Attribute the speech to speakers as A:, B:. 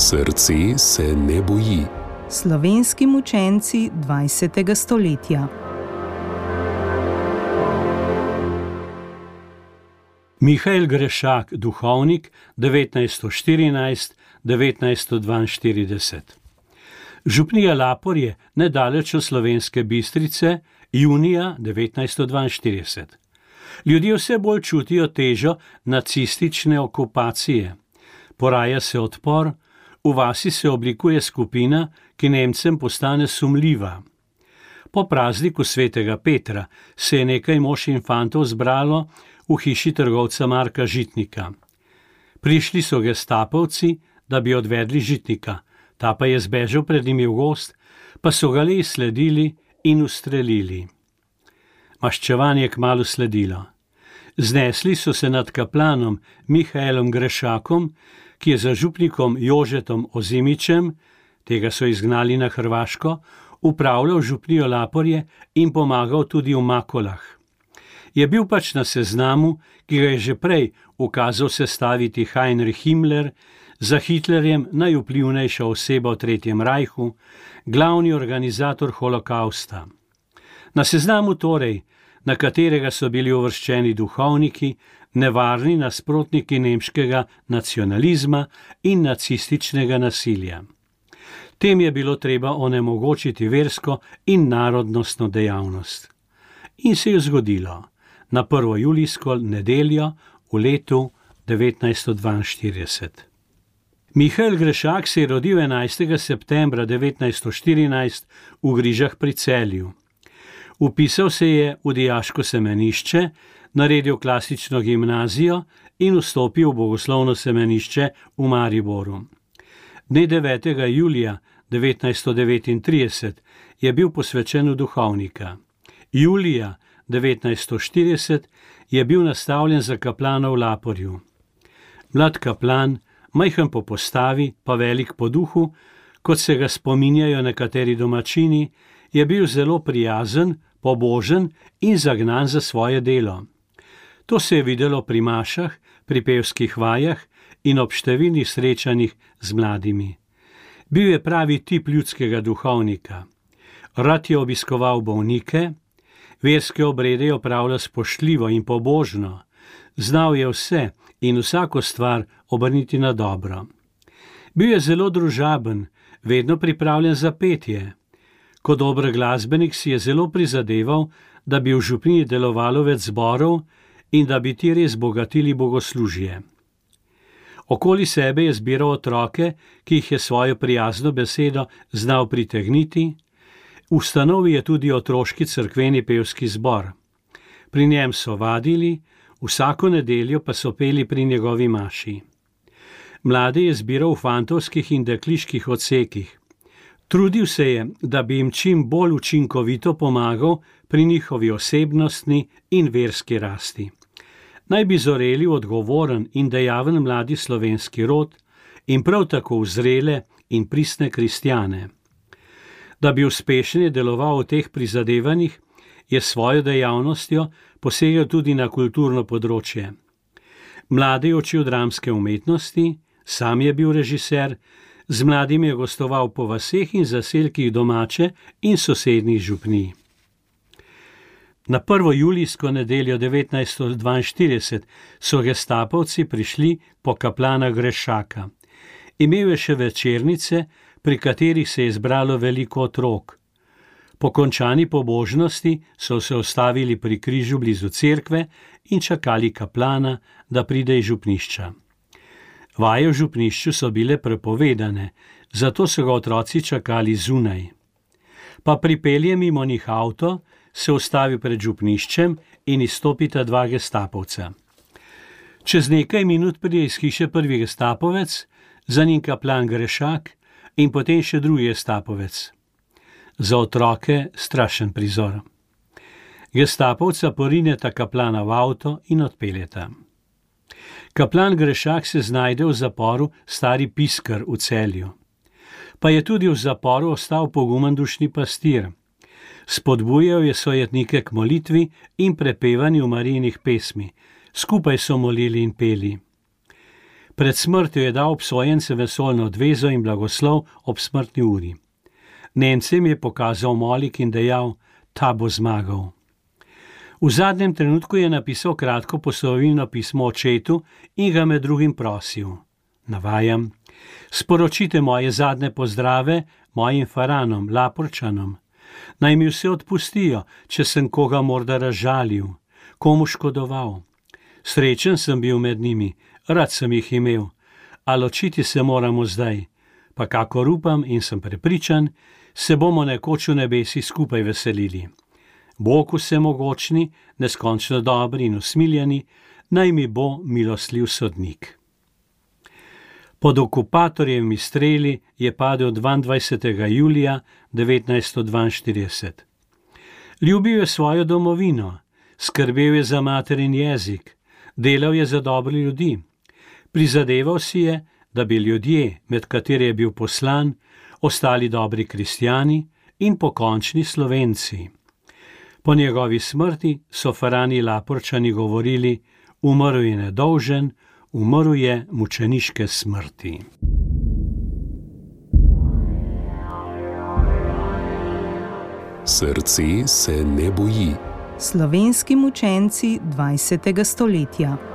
A: Srce se ne boji.
B: Slovenski mučenci 20. stoletja.
C: Mihael Grešak, duhovnik 1914–1942. Župnija Lapor je nedaleč od Slovenske Bistrice, junija 1942. Ljudje vse bolj čutijo težo nacistične okupacije. Poraja se odpor, v vasi se oblikuje skupina, ki Nemcem postane sumljiva. Po prazniku svetega Petra se je nekaj mož in fantov zbralo v hiši trgovca Marka Žitnika. Prišli so gestapovci, da bi odvedli Žitnika, ta pa je zbežal pred njimi v gozd, pa so ga le izsledili in ustrelili. Maščevanje je kmalu sledilo. Znesli so se nad kaplanom Mihaelom Grešakom, ki je za župnikom Jožetom Ozimičem, tega so izgnali na Hrvaško, upravljal župnijo Laporje in pomagal tudi v Makolah. Je bil pač na seznamu, ki ga je že prej ukazal sestaviti Heinrich Himmler, za Hitlerjem najvplivnejša oseba v Tretjem rajhu, glavni organizator holokausta. Na seznamu torej, na katerega so bili uvrščeni duhovniki, nevarni nasprotniki nemškega nacionalizma in nacističnega nasilja. Tem je bilo treba onemogočiti versko in narodnostno dejavnost. In se je zgodilo na 1. julijsko nedeljo v letu 1942. Mihael Grešak se je rodil 11. septembra 1914 v Grižah pri Celju. Vpisal se je v dijaško semenišče, naredil klasično gimnazijo in vstopil v bogoslovno semenišče v Mariboru. Dne 9. julija 1939 je bil posvečen v duhovnika. Julija 1940 je bil nastavljen za kaplana v Laporju. Mlad kaplan, majhen po postavi, pa velik po duhu, kot se ga spominjajo nekateri domačini, je bil zelo prijazen, pobožen in zagnan za svoje delo. To se je videlo pri mašah, pri pevskih vajah in ob številnih srečanjih z mladimi. Bil je pravi tip ljudskega duhovnika. Rad je obiskoval bolnike, verske obrede je opravljal spoštljivo in pobožno, znal je vse in vsako stvar obrniti na dobro. Bil je zelo družaben, vedno pripravljen za petje. Kot dober glasbenik si je zelo prizadeval, da bi v župniji delovalo več zborov in da bi ti res bogatili bogoslužje. Okoli sebe je zbiral otroke, ki jih je svojo prijazno besedo znal pritegniti. Ustanovil je tudi otroški cerkveni pevski zbor. Pri njem so vadili, vsako nedeljo pa so peli pri njegovi maši. Mlade je zbiral v fantovskih in dekliških odsekih. Trudil se je, da bi jim čim bolj učinkovito pomagal pri njihovi osebnostni in verski rasti. Naj bi zoreli odgovoren in dejaven mladi slovenski rod in prav tako vzrele in pristne kristjane. Da bi uspešno deloval v teh prizadevanjih, je svojo dejavnostjo posegel tudi na kulturno področje. Mlade je učil dramske umetnosti, sam je bil režiser, z mladimi je gostoval po vaseh in zaselkih domače in sosednjih župnij. Na 1. julijsko nedeljo 1942 so gestapovci prišli po kaplana Grešaka. Imel je še večernice, pri katerih se je zbralo veliko otrok. Po končani pobožnosti so se ustavili pri križu blizu cerkve in čakali kaplana, da pride iz župnišča. Vaje v župnišču so bile prepovedane, zato so ga otroci čakali zunaj. Pa pripelje mimo njih avto, se ustavi pred župniščem in izstopita dva gestapovca. Čez nekaj minut pride iz hiše prvi gestapovec, za njim kaplan Grešak in potem še drugi gestapovec. Za otroke strašen prizor. Gestapovca porineta kaplana v avto in odpeljeta. Kaplan Grešak se znajde v zaporu Stari Piskar v Celju. Pa je tudi v zaporu ostal pogumen dušni pastir. Spodbujal je sojetnike k molitvi in prepevanju Marijinih pesmi. Skupaj so molili in peli. Pred smrtjo je dal obsojencem vesoljno odvezo in blagoslov ob smrtni uri. Nemcem je pokazal molik in dejal, ta bo zmagal. V zadnjem trenutku je napisal kratko poslovilno pismo očetu in ga med drugim prosil. Navajam: sporočite moje zadnje pozdrave mojim faranom, Laporčanom. Naj mi vse odpustijo, če sem koga morda razžalil, komu škodoval. Srečen sem bil med njimi, rad sem jih imel, a ločiti se moramo zdaj, pa kakor upam in sem prepričan, se bomo nekoč v nebesi skupaj veselili. Bog vsemogočni, neskončno dobri in usmiljeni, naj mi bo milostljiv sodnik. Pod okupatorjevimi streli je padel 22. julija 1942. Ljubil je svojo domovino, skrbel je za materin jezik, delal je za dobre ljudi. Prizadeval si je, da bi ljudje, med katere je bil poslan, ostali dobri kristjani in pokončni Slovenci. Po njegovi smrti so farani Laporčani govorili, umrl je nedolžen, umrl je mučeniške smrti.
A: Srce se ne boji.
B: Slovenski mučenci 20. stoletja.